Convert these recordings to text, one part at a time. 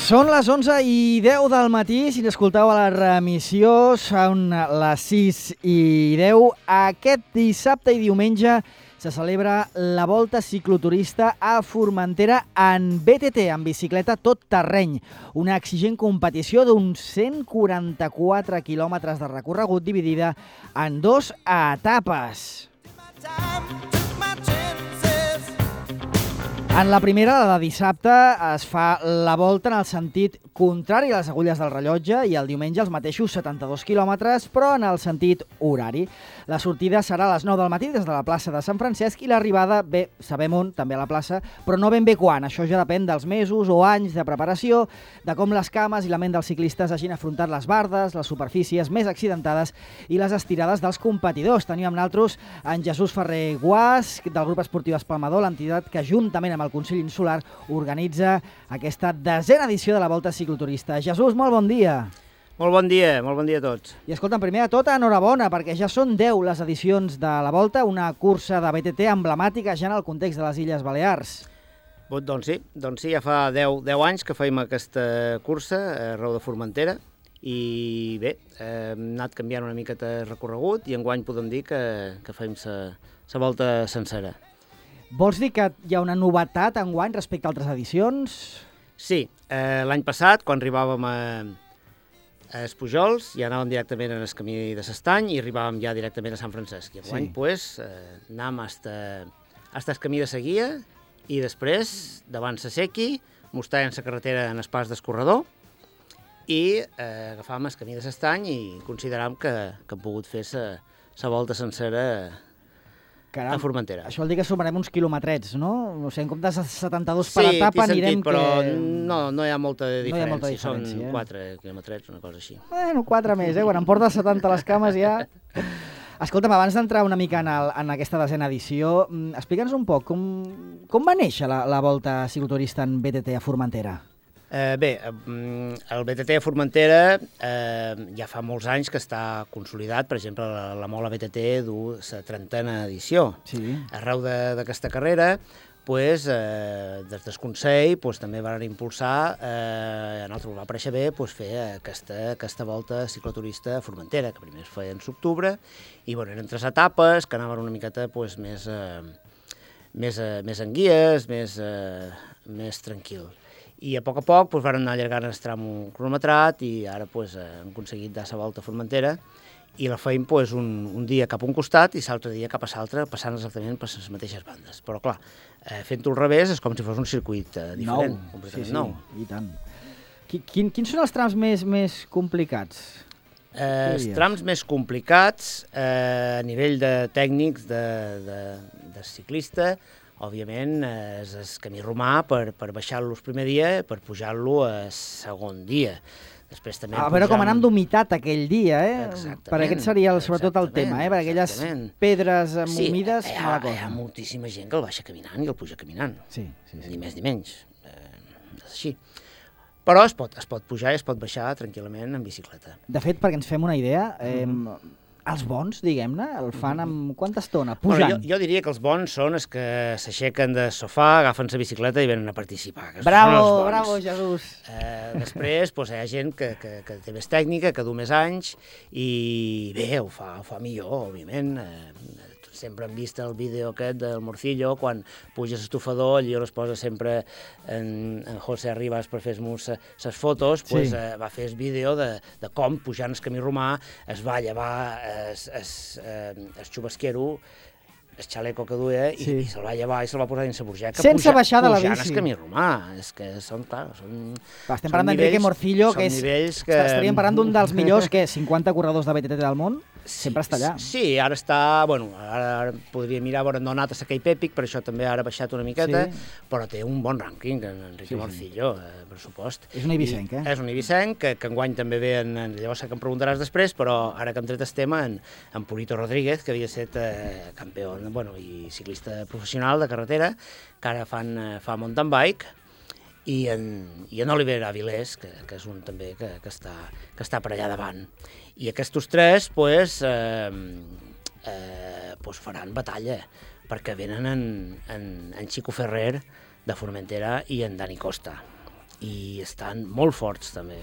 Són les 11:10 del matí, si n'escolteu a la remissió, són les 6:10. Aquest dissabte i diumenge se celebra la Volta Cicloturista a Formentera en BTT, en bicicleta tot terreny. Una exigent competició d'uns 144 quilòmetres de recorregut dividida en 2 etapes. En la primera, la de dissabte, es fa la volta en el sentit contrari a les agulles del rellotge i el diumenge els mateixos 72 quilòmetres, però en el sentit horari. La sortida serà a les 9 del matí des de la plaça de Sant Francesc i l'arribada, bé, sabem on, també a la plaça, però no ben bé quan. Això ja depèn dels mesos o anys de preparació, de com les cames i la ment dels ciclistes hagin afrontat les bardes, les superfícies més accidentades i les estirades dels competidors. Tenim amb nosaltres en Jesús Ferrer Guàs, del grup esportiu Espalmador, l'entitat que juntament amb el Consell Insular organitza aquesta 10a edició de la Volta Cicloturista. Jesús, molt bon dia. Molt bon dia a tots. I escolta'm, primer de tot, enhorabona, perquè ja són 10 les edicions de la Volta, una cursa de BTT emblemàtica ja en el context de les Illes Balears. Doncs sí, ja fa 10 anys que fem aquesta cursa arreu de Formentera i bé, hem anat canviant una miqueta el recorregut i enguany podem dir que fem la volta sencera. Vols dir que hi ha una novetat enguany respecte a altres edicions? Sí, l'any passat, quan arribàvem a Espujols, ja anàvem directament en el camí de l'Estany i arribàvem ja directament a Sant Francesc. I enguany, anàvem fins al camí de la Guia i després, davant la Sequi, mostràvem la carretera en el pas d'escorredor i agafàvem el camí de l'Estany i consideràvem que hem pogut fer la volta sencera a Formentera. Això vol dir que sumarem uns quilometrets, no? O sigui, en comptes de 72 per etapa anirem... Sí, però no hi ha molta diferència. Són 4 quilometrets, una cosa així. Bueno, 4 més, quan em portes 70 a les cames ja... Escolta'm, abans d'entrar una mica en aquesta 10a edició, explica'ns un poc com va néixer la Volta Cicloturista en BTT a Formentera. Bé, el BTT a Formentera ja fa molts anys que està consolidat. Per exemple, la Mola BTT du la 30a edició. Sí. Arreu d'aquesta carrera, des del Consell també van impulsar, a nosaltres va parèixer bé fer aquesta volta cicloturista a Formentera, que primer es feia en l'octubre, i eren 3 etapes que anaven una miqueta més en guies, més tranquil. I a poc van anar allargant el tram cronometrat i ara hem aconseguit dar la volta a Formentera i la feim un dia cap a un costat i l'altre dia cap a l'altre, passant exactament per les mateixes bandes. Però clar, fent-ho al revés és com si fos un circuit diferent, completament nou. I tant. Quins són els trams més complicats? Els trams més complicats a nivell de tècnics de ciclista, òbviament, és el camí romà per baixar-lo el primer dia i per pujar-lo el segon dia. Després també a veure com anam d'humitat aquell dia, Exactament. Per aquest seria sobretot el tema, per aquelles pedres humides, mala cosa. Hi ha moltíssima gent que el baixa caminant i el puja caminant. Sí. Ni més ni menys. És així. Però es pot pujar i es pot baixar tranquil·lament en bicicleta. De fet, perquè ens fem una idea, els bons, diguem-ne, el fan amb quanta estona? Pujant. Jo diria que els bons són els que s'aixequen del sofà, agafen la bicicleta i venen a participar. Bravo, Jesús! Després hi ha gent que té més tècnica, que du més anys i bé, ho fa millor, òbviament. Sempre hem vist el vídeo aquest del Morcillo, quan puja l'estufador, allí on es posa sempre en José Arribas per fer-nos les fotos, va fer el vídeo de com, pujant el camí romà, es va llevar el xubasquero, el xaleco que duia, i se'l va llevar i se'l va posar dins la burgeca. Sense baixar de la bici. Pujant el camí romà. És que són, clar, estem parlant d'Enrique Morcillo, que estaríem parlant d'un dels millors, 50 corredors de BTT del món. Sempre està allà. Sí, ara està... Ara podria mirar on ha anat a Saquei Pèpic, per això també ara ha baixat una miqueta, però té un bon rànquing, Enrique Morcillo, per supost. És un eivissenc, És un eivissenc, que enguany també ve, llavors que em preguntaràs després, però ara que hem tret el tema, en Purito Rodríguez, que havia estat campió i ciclista professional de carretera, que ara fa mountain bike, i en Oliver Avilés, que és un també que està per allà davant. I aquests 3 faran batalla, perquè venen en Chico Ferrer de Formentera i en Dani Costa. i estan molt forts també.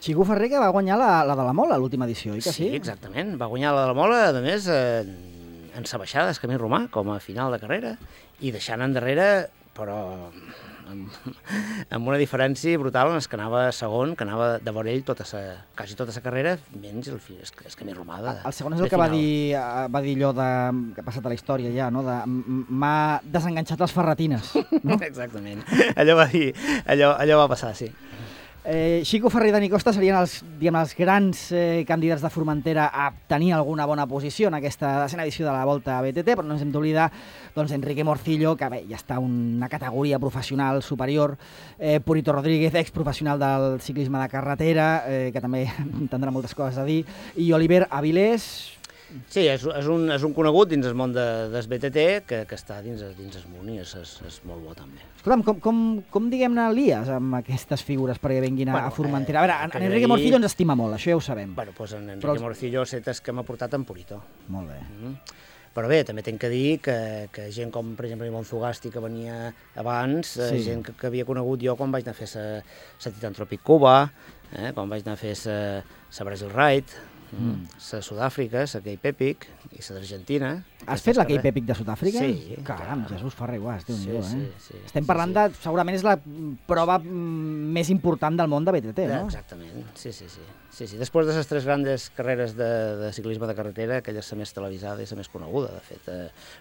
Xico Ferrer, que va guanyar la de la Mola, l'última edició, oi que sí? Sí, exactament. Va guanyar la de la Mola, a més, en sa baixada del Camí Romà, com a final de carrera, i deixant endarrere, però amb una diferència brutal en el que anava segon, que anava de vora ell quasi tota la carrera, menys el Camí Romà. El segon és el que va dir allò que ha passat a la història ja, no? M'ha desenganxat les ferretines. No? Exactament. Allò va dir, allò va passar, sí. Xico Ferrer i Dani Costa serien els grans candidats de Formentera a tenir alguna bona posició en aquesta desena edició de la Volta a BTT, però no ens hem d'oblidar Enrique Morcillo, que bé, ja està una categoria professional superior, Purito Rodríguez, exprofessional del ciclisme de carretera, que també tindrà moltes coses a dir, i Oliver Avilés. Sí, és un conegut dins el món del BTT que està dins el món i és molt bo també. Escolta'm, com diguem-ne lies amb aquestes figures perquè venguin a Formentera? A veure, en Enrique Morcillo ens estima molt, això ja ho sabem. Bueno, doncs en Enrique Morcillo és que m'ha portat en Purito. Molt bé. Però bé, també tinc que dir que gent com, per exemple, Ivonne Zugasti, que venia abans, gent que havia conegut jo quan vaig anar a fer la Titantropic Cuba, quan vaig anar a fer la Brazil Ride, la Sud-àfrica, la Cape Epic i la d'Argentina. Has fet la Cape Epic de Sud-àfrica? Sí. Caram, Jesús Ferrer Guas, Déu-n'hi-do, Sí. Estem parlant de, segurament és la prova més important del món de BTT, no? Exactament, sí. Després de les 3 grandes carreres de ciclisme de carretera, aquella és la més televisada i la més coneguda. De fet,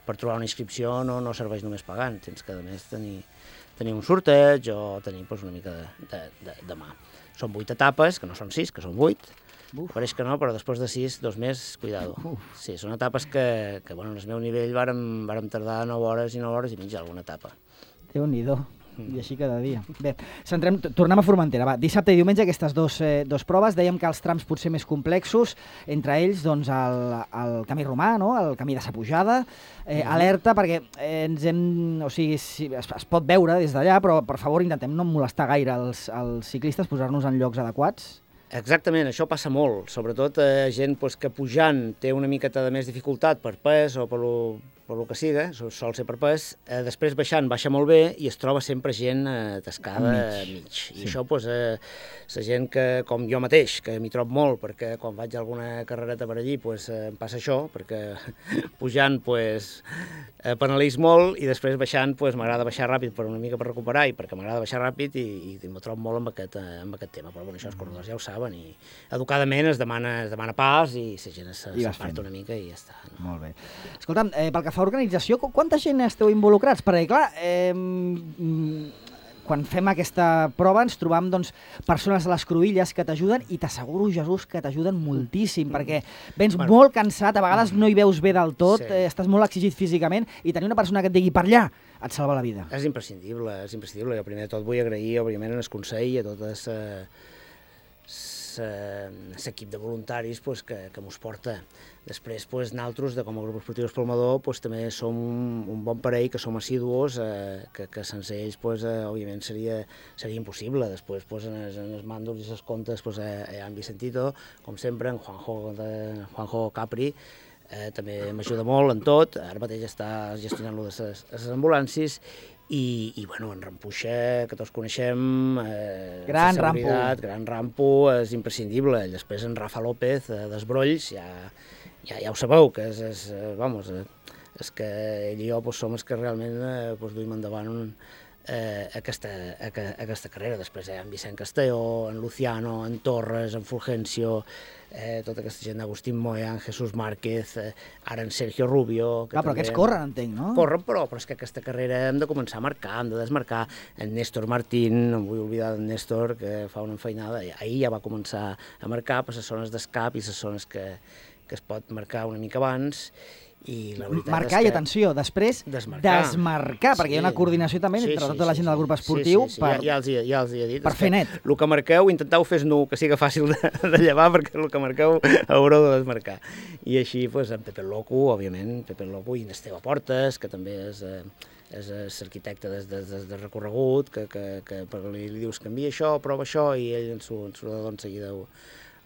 per trobar una inscripció no serveix només pagant, tens que, a més, tenir un sorteig o tenir una mica de mà. Són 8 etapes, que no són 6, que són 8, pareix que no, però després de 6, 2 més, cuidado. Sí, són etapes que bueno, en el meu nivell vàrem tardar 9 hores i mitja alguna etapa. Déu-n'hi-do, i així cada dia. Bé, tornem a Formentera. Va, dissabte i diumenge aquestes dos proves. Dèiem que els trams potser més complexos, entre ells doncs, el Camí Romà, no? El Camí de sa Pujada. Alerta, perquè es pot veure des d'allà, però per favor intentem no molestar gaire els ciclistes, posar-nos en llocs adequats. Exactament, això passa molt, sobretot gent que pujant té una miqueta de més dificultat per pes o per lo que siga, sol ser per pes, després baixant baixa molt bé i es troba sempre gent atascada a mig. I això, la gent que, com jo mateix, que m'hi trobo molt, perquè quan vaig a alguna carrereta per allí em passa això, perquè pujant penalitzo molt i després baixant m'agrada baixar ràpid per una mica per recuperar i perquè m'agrada baixar ràpid i m'ho trobo molt amb aquest tema. Però això els corredors ja ho saben i educadament es demana pas i la gent s'aparta una mica i ja està. Molt bé. Escolta'm, pel que fa a organització, quanta gent esteu involucrats? Perquè, clar, quan fem aquesta prova ens trobam persones a les cruïlles que t'ajuden i t'asseguro, Jesús, que t'ajuden moltíssim, perquè vens molt cansat, a vegades no hi veus bé del tot, estàs molt exigit físicament i tenir una persona que et digui per allà et salva la vida. És imprescindible. Jo primer de tot vull agrair, òbviament, el consell a totes l'equip de voluntaris que mos porta. Després, nosaltres, com a grup esportiu Espolmador, també som un bon parell, que som assidus, que sense ells, òbviament, seria impossible. Després, en els màndols i les comptes, en Vicentito, com sempre, en Juanjo Capri, també m'ajuda molt en tot. Ara mateix està gestionant-lo de les ambulàncies. I en Rampuixa, que tots coneixem, gran Rampo, és imprescindible. Després en Rafa López, d'Esbrolls, ja ho sabeu, que és que ell i jo som els que realment duim endavant aquesta carrera. Després en Vicent Castelló, en Luciano, en Torres, en Fulgencio, tota aquesta gent d'Agustín Moya, en Jesús Márquez, ara en Sergio Rubio... Però aquests corren, entenc, no? Corren, però és que aquesta carrera hem de començar a marcar, hem de desmarcar. En Néstor Martín, no em vull oblidar d'en Néstor, que fa una enfeinada, ahir ja va començar a marcar per les zones d'escap i les zones que es pot marcar una mica abans. I la veritat marcar i atenció, després desmarcar, perquè hi ha una coordinació també entre tota la gent del grup esportiu ja els he dit, per fer net. El que marqueu, intenteu fer nu, que siga fàcil de llevar, perquè el que marqueu haureu de desmarcar. I així, en Pepe Loco, òbviament, i en Esteve Portes, que també és l'arquitecte de recorregut, que li dius canvia això, prova això, i ell en l'ordinador en seguida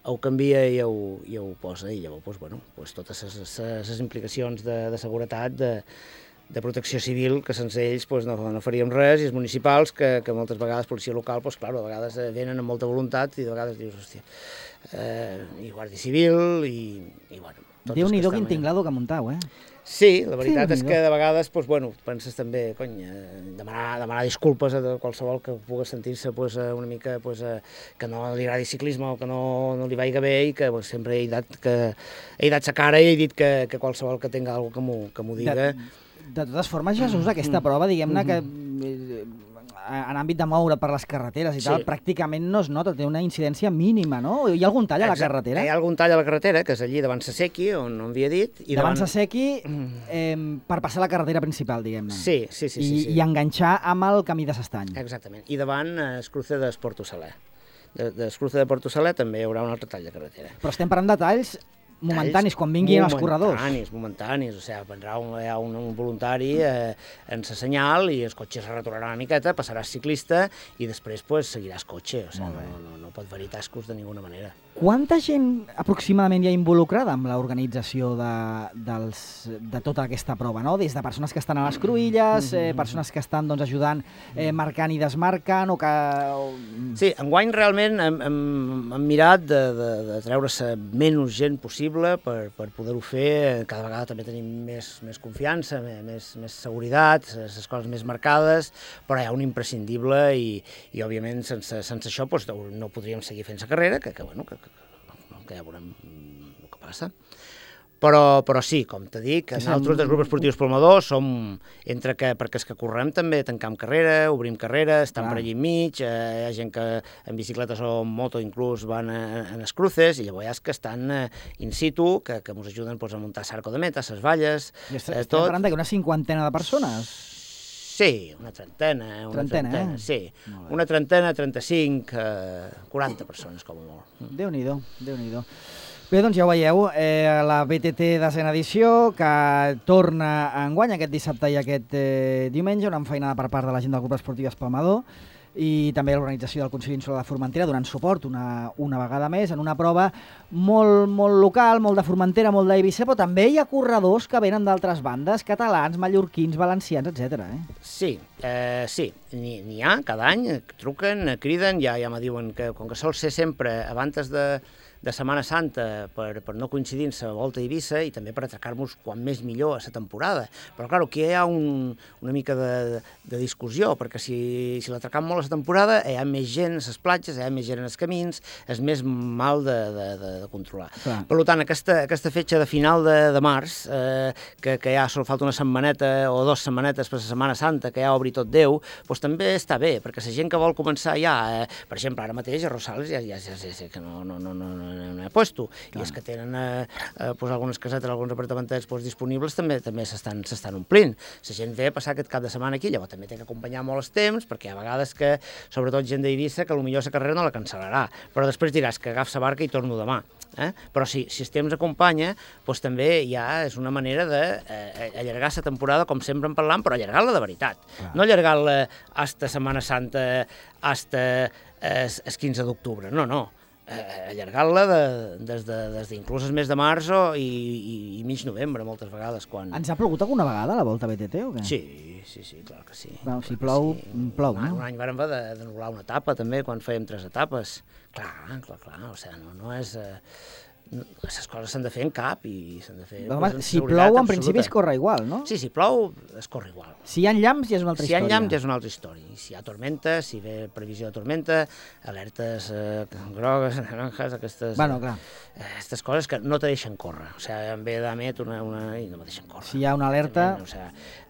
ho canvia i ho posa, i llavors totes les implicacions de seguretat de protecció civil, que sense ells no faríem res, i els municipals, que moltes vegades, policia local, clar, a vegades venen amb molta voluntat i de vegades dius, hòstia, i Guàrdia Civil, i bueno... Déu-n'hi-do quin tinglado que muntau, Sí, la veritat és que de vegades, penses també, demanar disculpes a qualsevol que pugui sentir-se una mica que no li agradi ciclisme o que no li vagi bé, i que sempre he dat sa cara i he dit que qualsevol que tinga alguna cosa que m'ho diga. De totes formes, Jesús, aquesta prova, diguem-ne que en àmbit de moure per les carreteres i tal, pràcticament no es nota, té una incidència mínima, no? Hi ha algun tall a la carretera? Hi ha algun tall a la carretera, que és allí davant Sasequi, on havia dit. Davant Sasequi, per passar la carretera principal, diguem-ne. Sí. I enganxar amb el camí de s'Estany. Exactament. I davant Escruce d'Esporto Saler. D'Escruce de Porto Saler també hi haurà un altre tall de carretera. Però estem parlant de talls momentanis, quan vinguin els corredors. Momentanis, o sigui, hi ha un voluntari en sa senyal i el cotxe es retornarà una miqueta, passaràs ciclista i després seguiràs cotxe, o sigui, no pot haver-hi tascos de ninguna manera. Quanta gent aproximadament hi ha involucrada amb l'organització de tota aquesta prova, no? Des de persones que estan a les cruïlles, persones que estan ajudant marcant i desmarcant, o que... Sí, enguany realment hem mirat de treure-se menys gent possible per poder-ho fer. Cada vegada també tenim més confiança, més seguretat, les coses més marcades, però hi ha un imprescindible i òbviament, sense això no podríem seguir fent la carrera, que ja veurem el que passa. Però sí, com t'he dit, nosaltres del grup esportiu Espolmador som perquè els que correm també tancam carrera, obrim carrera, estan per allí enmig, hi ha gent que en bicicletes o en moto inclús van a les cruces, i llavors hi ha que estan in situ, que ens ajuden a muntar l'arco de meta, les valles, tot. Estem parlant d'una 50 de persones? Sí, una trentena, sí. Una trentena, 35, 40 persones, com a molt. Déu-n'hi-do, Déu-n'hi-do. Bé, doncs ja ho veieu, la BTT desena edició, que torna enguany aquest dissabte i aquest diumenge, una enfeinada per part de la gent del grup esportiu Espalmador, i també l'organització del Consell Insular de Formentera donant suport una vegada més en una prova molt local, molt de Formentera, molt d'Eivissa, però també hi ha corredors que venen d'altres bandes, catalans, mallorquins, valencians, etc. Sí, n'hi ha, cada any truquen, criden, ja me diuen que com que sol ser sempre abans de Setmana Santa per no coincidir amb la Volta a Eivissa i també per atracar-nos quan més millor a la temporada. Però, clar, aquí hi ha una mica de discussió, perquè si l'atracam molt a la temporada hi ha més gent a les platges, hi ha més gent als camins, és més mal de controlar. Clar. Per tant, aquesta fetge de final de març, que ja sol falta una setmaneta o 2 setmanetes per la Setmana Santa, que ja obri tot Déu, doncs també està bé, perquè la gent que vol començar ja, per exemple, ara mateix a Rosales ja sé que no he puesto, i els que tenen algunes casetes, alguns apartamentets disponibles també s'estan omplint. La gent ve a passar aquest cap de setmana aquí, llavors també té que acompanyar molt els temps, perquè hi ha vegades que, sobretot gent d'Eivissa, que potser la carrera no la cancel·larà, però després diràs que agafo la barca i torno demà. Però si el temps acompanya, doncs també ja és una manera d'allargar la temporada, com sempre en parlam, però allargar-la de veritat. No allargar-la hasta Setmana Santa, hasta el 15 d'octubre, no. Allargar-la des d'inclús el mes de març i mig novembre, moltes vegades. Ens ha plogut alguna vegada a la Volta BTT o què? Sí, clar que sí. Si plou, plou, no? Un any vàrem haver d'anul·lar una etapa, també, quan fèiem 3 etapes. Clar, o sigui, no és... Les coses s'han de fer en cap i s'han de fer... Si plou, en principi es corre igual, no? Sí, si plou, es corre igual. Si hi ha llamps, ja és una altra història. Si hi ha llamps, ja és una altra història. Si hi ha tormenta, si ve previsió de tormenta, alertes grogues, naranjas, aquestes... Bueno, clar. Aquestes coses que no te deixen córrer. O sigui, em ve d'Amet i no me deixen córrer. Si hi ha una alerta...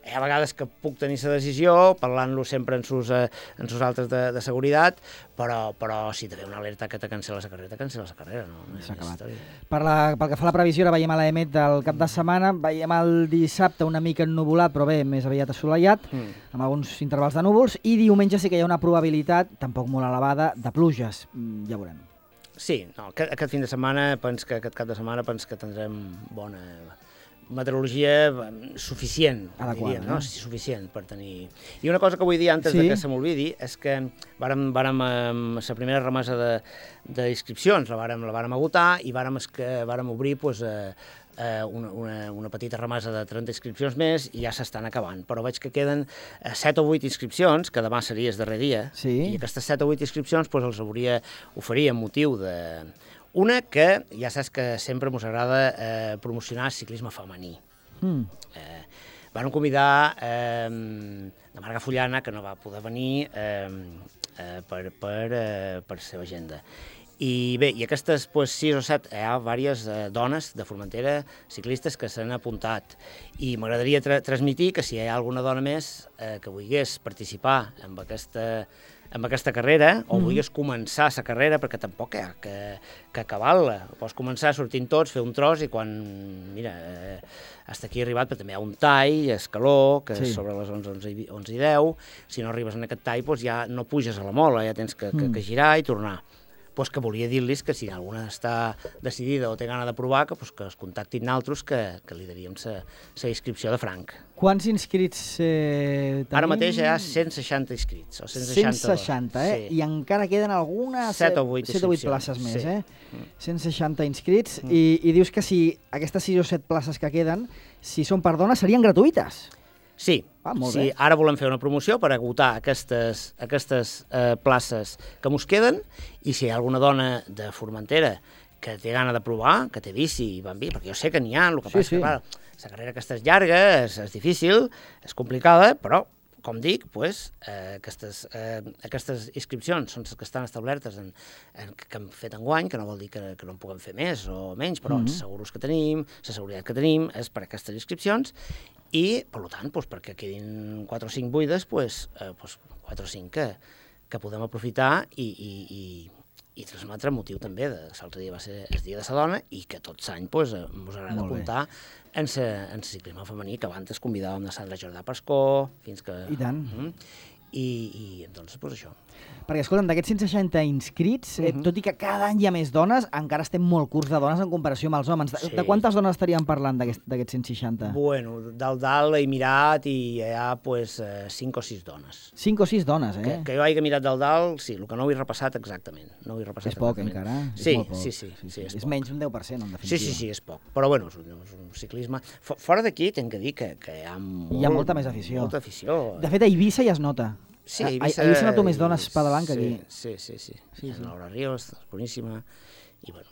Hi ha vegades que puc tenir la decisió, parlant-lo sempre en sus altres de seguretat, però si te ve una alerta que te cancel·la la carrera, cancel·la la carrera, no? S'ha acabat. Pel que fa a la previsió, ara veiem a l'EMET del cap de setmana, veiem el dissabte una mica ennuvolat, però bé, més aviat assolellat, amb alguns intervals de núvols, i diumenge sí que hi ha una probabilitat, tampoc molt elevada, de pluges. Ja veurem. Sí, aquest fin de setmana, aquest cap de setmana, que tindrem bona meteorologia suficient, diríem, no? Suficient per tenir... I una cosa que vull dir antes de que se m'olvidi és que vàrem la primera remesa d'inscripcions, la vàrem agotar i vàrem obrir una petita remesa de 30 inscripcions més i ja s'estan acabant. Però veig que queden 7 o 8 inscripcions, que demà seria el darrer dia, i aquestes 7 o 8 inscripcions els oferia amb motiu de... Una que ja saps que sempre ens agrada promocionar ciclisme femení. Van convidar la Marga Fullana, que no va poder venir per seva agenda. I bé, i aquestes 6 o 7, hi ha diverses dones de Formentera, ciclistes, que s'han apuntat. I m'agradaria transmitir que si hi ha alguna dona més que volgués participar en aquesta carrera, o volgués començar la carrera, perquè tampoc hi ha que acabar-la. Pots començar sortint tots, fer un tros, i quan, mira, hasta aquí he arribat, però també hi ha un tall, escaló, que és sobre les 11 i 10, si no arribes en aquest tall, doncs ja no puges a la mola, ja tens que girar i tornar. Doncs que volia dir-los que si alguna està decidida o té gana de provar, que es contactin altres, que li daríem la inscripció de franc. Quants inscrits tenim? Ara mateix hi ha 160 inscrits. 160, eh? Sí. I encara queden algunes... 7 o 8 places més, eh? 160 inscrits. I dius que si aquestes 6 o 7 places que queden, si són per dones, serien gratuïtes. Sí, ara volem fer una promoció per agotar aquestes places que mos queden, i si hi ha alguna dona de Formentera que té gana de provar, que té bici i va amb bici, perquè jo sé que n'hi ha, el que passa que, clar, la carrera aquesta és llarga, és difícil, és complicada, però, com dic, aquestes inscripcions són les que estan establertes que hem fet enguany, que no vol dir que no en puguem fer més o menys, però els seguros que tenim, la seguretat que tenim és per aquestes inscripcions, i, per tant, perquè quedin 4 o 5 buides, 4 o 5 que podem aprofitar i transmetre motiu també. L'altre dia va ser el dia de la dona i que tot l'any ens agrada apuntar en el ciclisme femení, que abans convidàvem a Sandra Jordà Pascó, fins que... I tant. I doncs, això. Perquè, escolta'm, d'aquests 160 inscrits, tot i que cada any hi ha més dones, encara estem molt curts de dones en comparació amb els homes. De quantes dones estaríem parlant d'aquests 160? Bueno, dalt he mirat i hi ha 5 o 6 dones. 5 o 6 dones, eh? Que jo hagi mirat dalt, sí, el que no ho he repassat exactament. És poc, encara? Sí, és menys un 10%, en definitiva. Sí, és poc. Però, bueno, és un ciclisme... Fora d'aquí, tinc que dir que hi ha molta més afició. Molta afició. De fet, a Eivissa ja es nota. Sí, a Eivissa noto més dones pedalant que aquí. Sí. Laura Ríos, boníssima. I, bueno,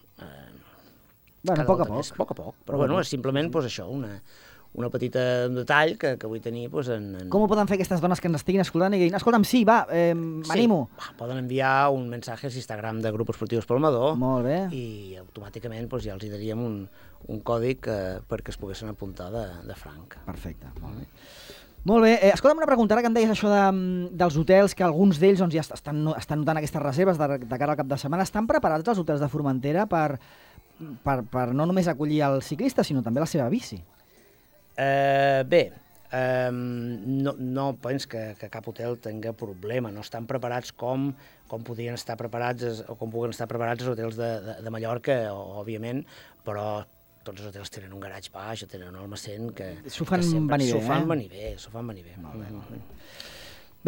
a poc a poc. Poc a poc, però, bueno, és simplement, això, una petita detall que vull tenir en... Com ho poden fer aquestes dones que ens estiguin escoltant i diguin, escolta'm, sí, va, m'animo? Poden enviar un missatge a l'Instagram de Grup Esportius Palmador. Molt bé. I automàticament ja els daríem un còdic perquè es poguessin apuntar de franc. Perfecte, molt bé. Molt bé. Escolta'm una pregunta, ara que em deies això dels hotels, que alguns d'ells ja estan notant aquestes reserves de cara al cap de setmana. Estan preparats els hotels de Formentera per no només acollir el ciclista, sinó també la seva bici? Bé, no penso que cap hotel tingui problema. No estan preparats com podien estar preparats o com puguen estar preparats els hotels de Mallorca, òbviament, però tots els hotels tenen un garatge baix o tenen un almacén que... S'ho fan venir bé, S'ho fan venir bé. Molt bé.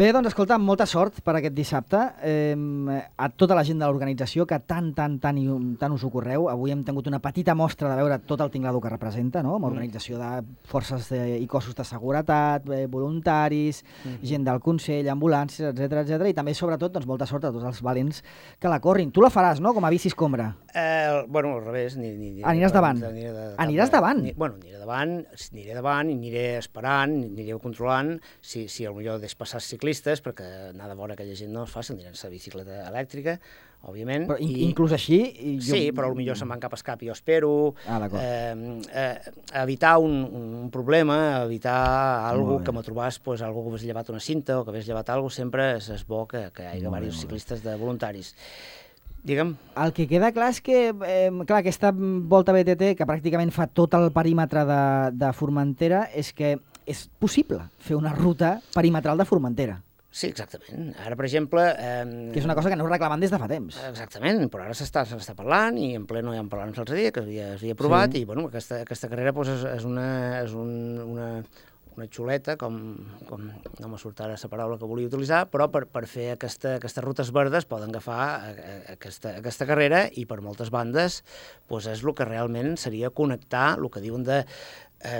Bé, doncs, escolta, molta sort per aquest dissabte. A tota la gent de l'organització que tant us ho correu. Avui hem tingut una petita mostra de veure tot el tinglado que representa, no? Amb organització de forces i cossos de seguretat, voluntaris, gent del Consell, ambulàncies, etc. I també, sobretot, doncs, molta sort a tots els valents que la corrin. Tu la faràs, no?, com a bici escombra. Bueno, al revés. Aniràs davant? Aniràs davant? Bueno, aniré davant i aniré esperant, aniré controlant si potser deixo passar els ciclistes, perquè anar de vora aquella gent no és fàcil, aniran a la bicicleta elèctrica, òbviament. Però inclús així... Sí, però potser se'n van cap a escap i jo espero. Evitar un problema, evitar alguna que me trobàs, algú que hagués llevat una cinta o que hagués llevat alguna cosa, sempre és bo que hi hagi diversos ciclistes de voluntaris. Digue'm. El que queda clar és que aquesta volta BTT, que pràcticament fa tot el perímetre de Formentera, és que és possible fer una ruta perimetral de Formentera. Sí, exactament. Ara, per exemple... Que és una cosa que no reclamen des de fa temps. Exactament, però ara s'està parlant, i en ple no hi ha parlat l'altre dia, que s'havia aprovat, i bueno, aquesta carrera és una xuleta, com no me surt ara la paraula que volia utilitzar, però per fer aquestes rutes verdes poden agafar aquesta carrera i per moltes bandes doncs és el que realment seria connectar, el que diuen de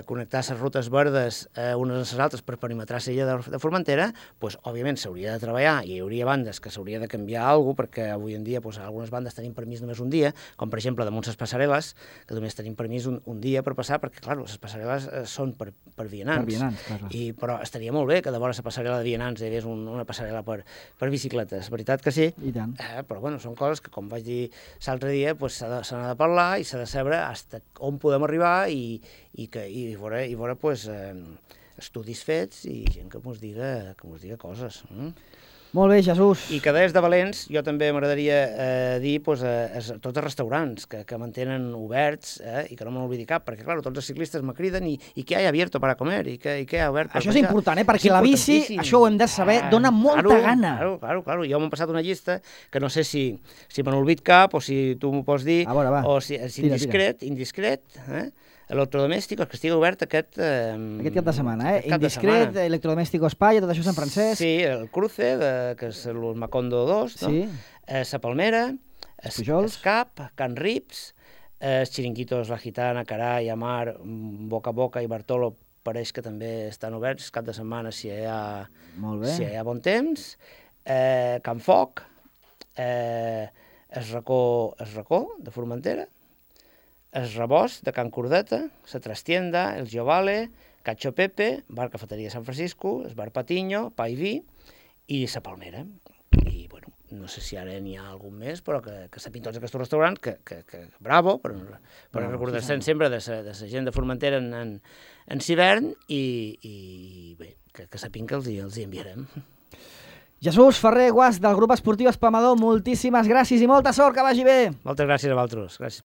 connectar les rutes verdes unes amb les altres per perimetrar l'illa de Formentera, doncs, òbviament s'hauria de treballar i hi hauria bandes que s'hauria de canviar alguna cosa, perquè avui en dia doncs, algunes bandes tenim permís només un dia, com per exemple damunt les passarel·les, que només tenim permís un dia per passar, perquè clar, les passarel·les són per vianants. Per vianants, clar. Però estaria molt bé que de vora la passarel·la de vianants hi hagués una passarel·la per bicicletes, veritat que sí? I tant. Però bueno, són coses que, com vaig dir l'altre dia, doncs, se n'ha de parlar i s'ha de saber on podem arribar i veure pues, estudis fets i gent que mos diga coses. Molt bé, Jesús. I que des de Valents jo també m'agradaria dir pues, tots els restaurants que mantenen oberts i que no me n'oblidi cap, perquè clar, tots els ciclistes me criden i què hi ha abierto para comer i què hi ha obert per Això és important, perquè la bici, això ho hem de saber, dona molta gana. Claro. Jo m'he passat una llista que no sé si me n'olvid cap o si tu m'ho pots dir, o si és indiscret, electrodomèsticos, que estigui obert aquest cap de setmana, Indiscret, Electrodoméstico España, tot això és en francès. Sí, el Cruce, que és el Macondo 2, no? Sí. La Palmera, el Cap, Can Rips, els Chiringuitos, La Gitana, Carai, Amar, Boca a Boca i Bartolo pareix que també estan oberts cap de setmana si hi ha bon temps, Can Foc, el Racó de Formentera, el Rebost de Can Cordeta, la Trastienda, el Giovale, Cacho Pepe, Bar Cafeteria San Francisco, el Bar Patiño, Pa i Vi i la Palmera. I, bueno, no sé si ara n'hi ha algun més, però que sapin tots aquests restaurants, que bravo, per recordar-se sempre de la gent de Formentera en l'hivern i bé, que sapin que els hi enviarem. Jesús Ferrer Guas, del grup esportiu Espamador, moltíssimes gràcies i molta sort, que vagi bé. Moltes gràcies a vosaltres. Gràcies.